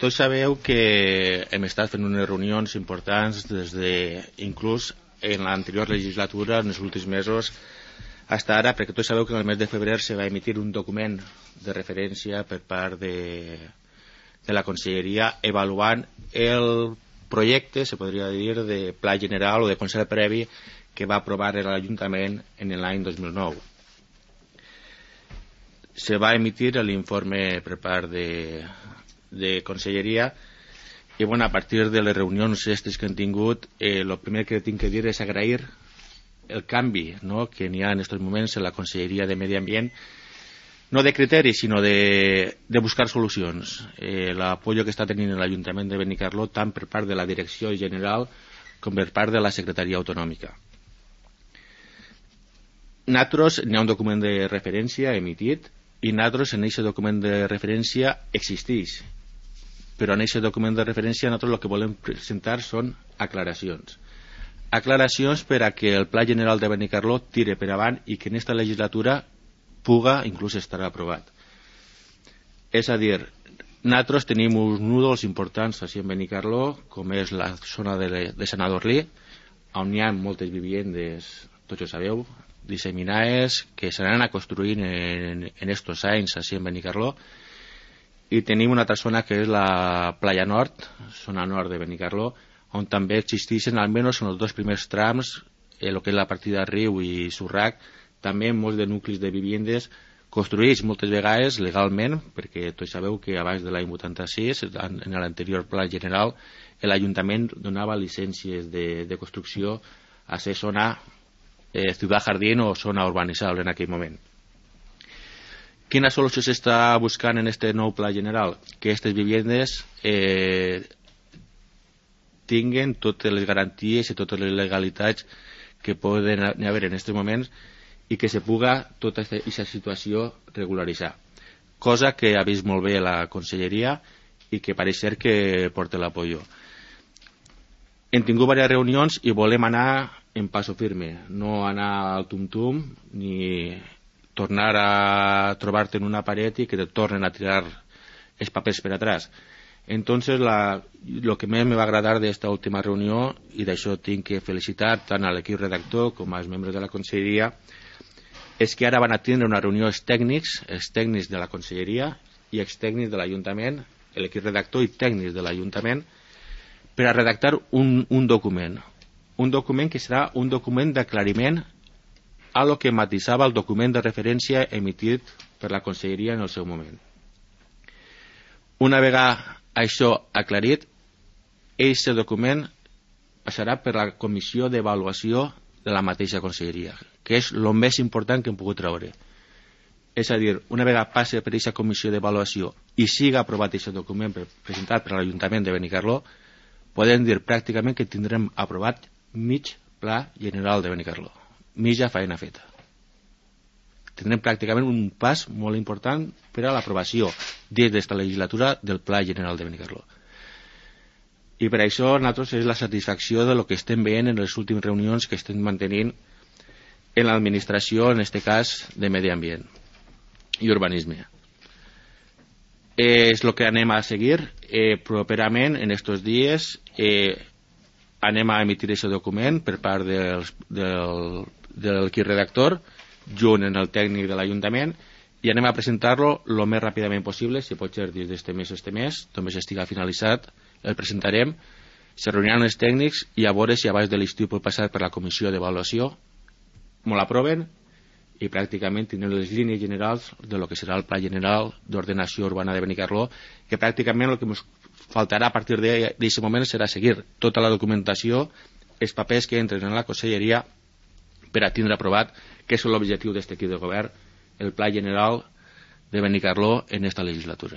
Tots sabeu que hem estat fent unes reunions importants inclús en l'anterior legislatura, en els últims mesos, fins ara, perquè tots sabeu que en el mes de febrer se va emitir un document de referència per part de la Conselleria avaluant el projecte, se podria dir, de pla general o de concert previ que va aprovar l'Ajuntament en l'any 2009. Se va emitir l'informe per part de Conselleria i a partir de les reunions aquestes que hem tingut, el primer que tinc que dir és agrair el canvi que n'hi ha en aquests moments en la Conselleria de Medi Ambient, no de criteris sinó de buscar solucions. L'apoyo que està tenint l'Ajuntament de Benicarló tant per part de la Direcció General com per part de la Secretaria Autonòmica. Nosaltres n'hi ha un document de referència emitit i nosaltres en aquest document de referència existeix, però en aquest document de referència nosaltres el que volem presentar són aclaracions per a que el Pla General de Benicarló tire per avant i que en aquesta legislatura puga inclús estar aprovat. És a dir, nosaltres tenim uns núdols importants així en Benicarló, com és la zona de Sant Adorlí, on hi ha moltes viviendes, tots ho sabeu, disseminades, que s'anaran a construir en estos anys així en Benicarló, i tenim una altra zona que és la Playa Nord, zona nord de Benicarló, on també existeixen, almenys en els dos primers trams, el que és la partida Riu i Surrac, també molts de nuclis de viviendes construïts moltes vegades legalment, perquè tots sabeu que abans de l'any 86, en l'anterior pla general, l'Ajuntament donava llicències de construcció a ser zona ciutat jardín o zona urbanitzable en aquell moment. Quina solució s'està buscant en aquest nou pla general? Que aquestes viviendes tinguen totes les garanties i totes les legalitats que poden haver en aquests moments i que se puga tota aquesta situació regularitzar. Cosa que ha vist molt bé la Conselleria i que pareix ser que porta l'apoyo. Hem tingut diverses reunions i volem anar en paso firme, no anar al tum-tum ni tornar a trobar-te en una paret i que te tornen a tirar els papers per atrás. Entonces, lo que més me va agradar d'esta última reunió, i d'això tinc que felicitar tant a l'equip redactor com als membres de la Conselleria, és que ara van a tindre una reunió els tècnics de la Conselleria i els tècnics de l'Ajuntament, l'equip redactor i tècnics de l'Ajuntament, per a redactar un document que serà un document d'aclariment a lo que matisava el document de referència emitit per la Conselleria en el seu moment. Una vegada això aclarit, aquest document passarà per la comissió d'avaluació de la mateixa Conselleria, que és el més important que hem pogut treure. És a dir, una vegada passi per aquesta comissió d'avaluació i siga aprovat aquest document presentat per l'Ajuntament de Benicarló, podem dir pràcticament que tindrem aprovat mig pla general de Benicarló, mitja feina feta. Tindrem pràcticament un pas molt important per a l'aprovació des d'esta legislatura del Pla General de Benicarló. I per això nosaltres és la satisfacció de lo que estem veient en les últimes reunions que estem mantenint en l'administració, en aquest cas de Medi Ambient i Urbanisme. És el que anem a seguir properament en aquests dies. Anem a emitir aquest document per part de l'equip redactor junt amb el tècnic de l'Ajuntament i anem a presentar-lo el més ràpidament possible, si pot ser dins d'este mes, només estigui finalitzat, el presentarem, se reuniran els tècnics i a veure si abans de l'estiu pot passar per la comissió d'avaluació, me l'aproven i pràcticament tindrem les línies generals de lo que serà el Pla General d'Ordenació Urbana de Benicarló, que pràcticament el que ens faltarà a partir d'aquest moment serà seguir tota la documentació, els papers que entren en la Conselleria per a tindre aprovat, que és l'objectiu d'aquest equip de govern, el Pla General de Benicarló en esta legislatura.